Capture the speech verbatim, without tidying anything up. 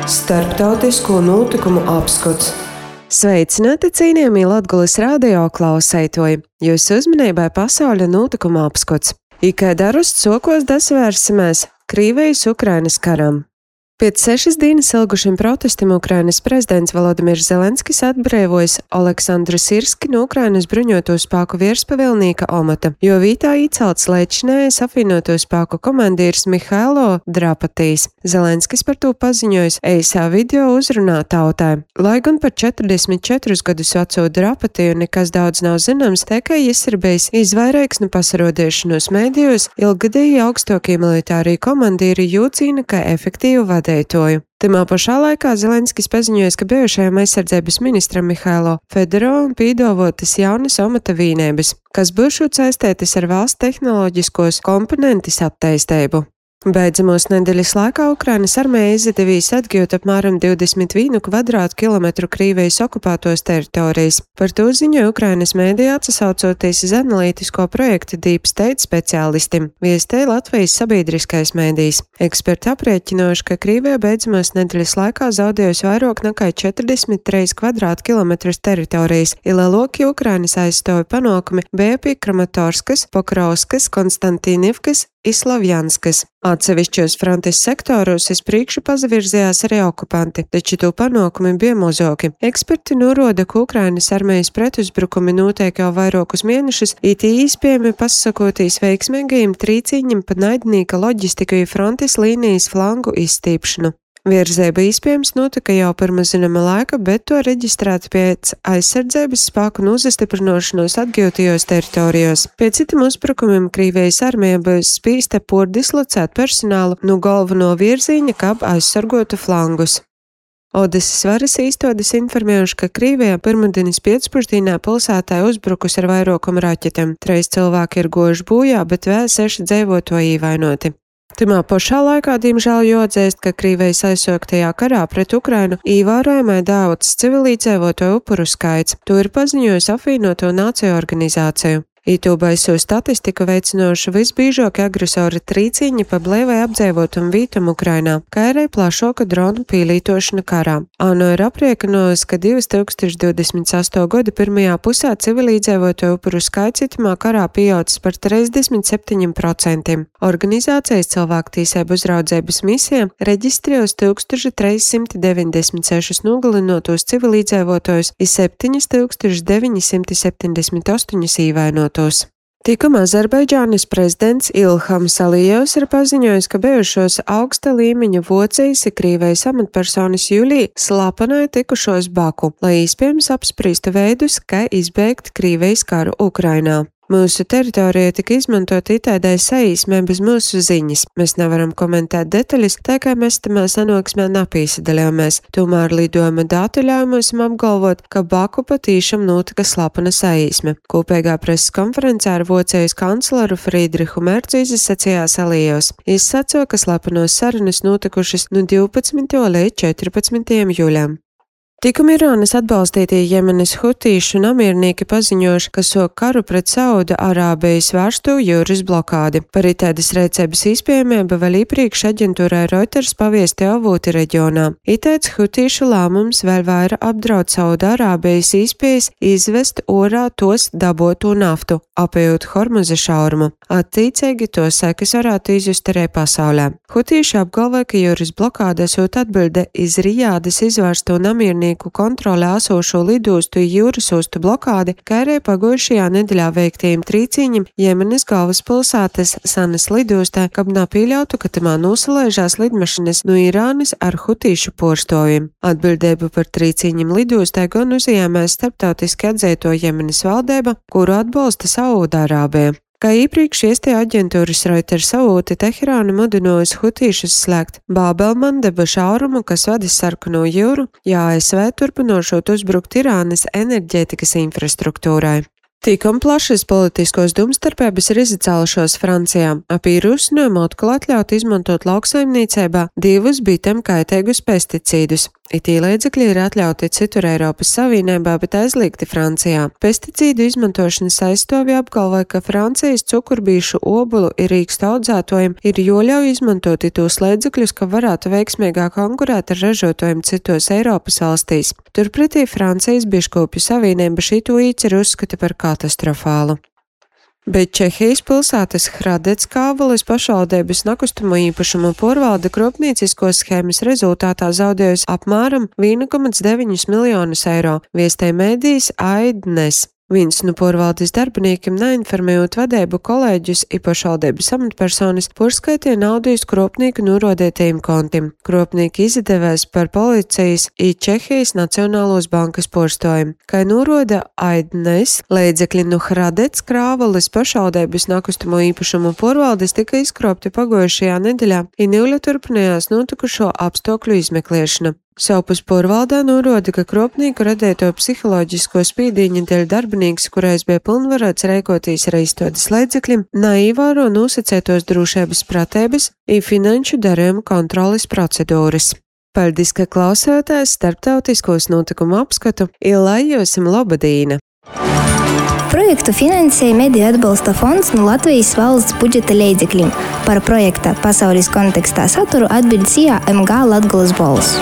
Starptautisko notikumu apskats. Sveicināti, cienījamie Latgules radio klausētoji! Jūsu uzmanībai pasaules notikumu apskats. Ikai darust sokos dasvērsimies Krievijas Ukrainas karam. Pēc sešas dienas ilgušiem protestiem Ukrainas prezidents Volodimirs Zelenskis atbrīvojis Oleksandru Sirski no Ukrainas bruņoto spēku virspavēlnieka amata, jo vītā iecelts līdzinājais apvienoto spēku komandieris Mihailo Drapatīs. Zelenskis par to paziņojis eisā video uzrunā tautai. Lai gan par četrdesmit četrus gadus veco Drapatiju nekas daudz nav zināms, tikai viņš ir bijis izvairīgs no pasarodēšanos mēdījos, ilgadēji augstākie militārie komandieri jūcīna kā efektīvu vadītāju. Timā pašā laikā Zelenskis paziņoja, ka bijušajam aizsardzības ministram Mihailo Fedorovam pīdavotas jaunas amata vienības, kas būšot saistētas ar valsts tehnoloģiskos komponentus attīstību. Beidzamos nedēļas laikā Ukrainas armija izdevīs atgūt apmēram divdesmit vienu kvadrātkilometru Krievijas okupētos teritorijas. Par to ziņoja Ukrainas mēdījā atsaucoties uz analītisko projektu Deep State speciālistiem, viestēja Latvijas sabiedriskais mēdījis. Eksperti aprēķinājuši, ka Krievija beidzamos nedēļas laikā zaudējusi vairāk nekā četrdesmit trīs kvadrātkilometrus teritorijas, ilēloki Ukrainas aizstāvi panākumi bija pie Kramatorskas, Pokrovskas, Konstantīnivkas, Islavjanskas. Atsevišķos frontes sektoros uz priekšu pazavirzījās arī okupanti, taču to panākumi bija mazāki. Eksperti norāda, ka Ukrainas armijas pretuzbrukumi notiek jau vairākus mēnešus, it īspējami pasakotīs veiksmīgajiem trīcīņiem pa naidnieka loģistiku frontes līnijas flangu izstīpšanu. Virzība iespējams notika jau pirms zināma laika, bet to reģistrēt pēc aizsardzības spēku nozastiprināšanos atgūtajos teritorijos. Pēc citiem uzbrukumiem Krievijas armija būs spīsta pordislocēt personālu no galveno virziņa, kā aizsargotu flangus. Odesas varas īstotis informējuši, ka Krievijā pirmdienas pēcpusdienā pilsētā uzbrukus ar vairākumu raķetēm. Trīs cilvēki ir gojuši bojā, bet vēl seši dzīvotāji ievainoti. Timā pašā laikā, diemžēl, jāatzīst, ka Krievijas aizsāktajā karā pret Ukrainu ievērojami daudz civilizēto upuru skaits. To ir paziņojusi apvienoto nāciju organizāciju. Itū baiso statistiku veicinoši visbīžākie agresori trīcīņi pa blīvai apdzīvotam vītam Ukrainā, kā arī plašāka dronu pielītošana karā. ANO ir aprēķinājusi, ka divi tūkstoši divdesmit astotajā gada pirmajā pusē civilizēto upuru skaits itamā karā pieaudzis par trīsdesmit septiņiem procentiem. Organizācijas cilvēktiesību uzraudzības misija reģistrējusi tūkstoš trīs simti deviņdesmit sešus nogalinātos civilizētājus un septiņus tūkstošus deviņi simti septiņdesmit astoņus ievainotus. Tikmēr Azerbaidžānas prezidents Ilhams Alijevs ir paziņojis, ka bijušos augsta līmeņa vocijas ir Krievijas amatpersonas jūlijā slapenai tikušos Baku, lai iespējams apspriestu veidus, kā izbeigt Krievijas karu Ukrainā. Mūsu teritorija tika izmantota itādai saīsmē bez mūsu ziņas. Mēs nevaram komentēt detaļas, tā kā mēs tamā sanāksmē nepīsadalījāmies. Tomēr lidojuma dati ļauj mums apgalvot, ka Baku patīšām notika slapena saīsme. Kopīgā preses konferencē ar Vocijas kancleru Friedrihu Mercu izsacījās Alijevs. Viņš sacīja, ka slapenos sarunas notikušas no divpadsmitajā līdz četrpadsmitajam jūlijam. Tikmēr Irānas atbalstītie Jemenas hutīšu namiernieki paziņojuši, ka sok karu pret Sauda Arābijas vērstu jūras blokādi. Par itēdas rēcības iespējamību vēl iepriekš aģentūrai Reuters paviesti avoti reģionā. Itēds hutīšu lēmums vēl vairāk apdraud Sauda Arābijas iespējas izvest orā tos daboto naftu, apējot Hormuza šaurumu. Attiecīgi to sekas varētu izjust arī pasaulē. Hutīši apgalvoja, ka jūras blokāde esot atbilde iz Rijādas izvērsto namiernieku kontrolē esošo lidostu jūras ostu blokādi, kā arī pagājušajā nedēļā veiktajiem trīcīņiem Jemenas galvaspilsētas Sanas lidostā, kab nepieļautu, ka tamā nosalaižās lidmašinas no Irānas ar hutīšu porstoviem. Atbildību par trīcīņiem lidostā gan uzņēmēs starptautiski atzīto Jemenas valdība, kuru atbalsta Saūda-Arābija. Kā iepriekš iestie aģentūras Reuters avoti Teherānu mudinājusi hutīšus slēgt Bābelmandeba šaurumu, kas vadis Sarkano jūru, ja A S V turpinošot uzbrukt Irānas enerģētikas infrastruktūrai. Tikam plašas politiskos domstarpības ir izcēlušos Francijā. Ap ierosinājumu atkal atļaut izmantot lauksaimniecībā divus bitem kaitīgus pesticīdus. Itī līdzekļi ir atļauti citur Eiropas Savienībā, bet aizliegti Francijā. Pesticīdu izmantošanas aizstāvji apgalvoja, ka Francijas cukurbīšu obulu ir rīkstu audzētojiem ir joļauj izmantot itos līdzekļus, ka varētu veiksmīgāk konkurēt ar ražotājiem citos Eiropas valstīs. Turpretī Francijas biškopju savienība šito īceru uzskata par katastrofālu. Bet Čehijas pilsētas Hradec Kāvalis pašvaldības nekustamo īpašumu porvalde kropniecisko schēmas rezultātā zaudējusi apmēram viens komats deviņi miljonus eiro, viestēja mēdījis Aidnes. Viens no porvaldes darbiniekiem neinformējot vadību kolēģus i pašvaldības amatpersonas porskaitīja naudu iz kropnieku norodētajiem kontiem. Kropnieki izdevēs par policijas i Čehijas Nacionālos bankas porstojumu. Kā noroda Aidnes, līdzekļi no Hradec Kāvalis pašvaldības nekustamo īpašumu porvaldes tika izkropti pagojušajā nedēļā i Nīļa turpinājās notikušo apstākļu izmeklēšana. Savpus porvaldā norāda, ka kropnieku radēto psiholoģisko spīdīņa dēļ darbinieks, kurais bija pilnvarots rēkoties ar izstādes līdzekļiem, neievēro nosacētos drošības pratības i finanšu darījumu kontroles procedūras. Paldies, ka klausāties starptautiskos notikumu apskatu, i lai jūsim labadīna! Projektu finansēja Mediju atbalsta fonds no Latvijas valsts budžeta līdzekļiem. Par projekta pasaules kontekstā saturu atbild C I A M G Latgoles balss.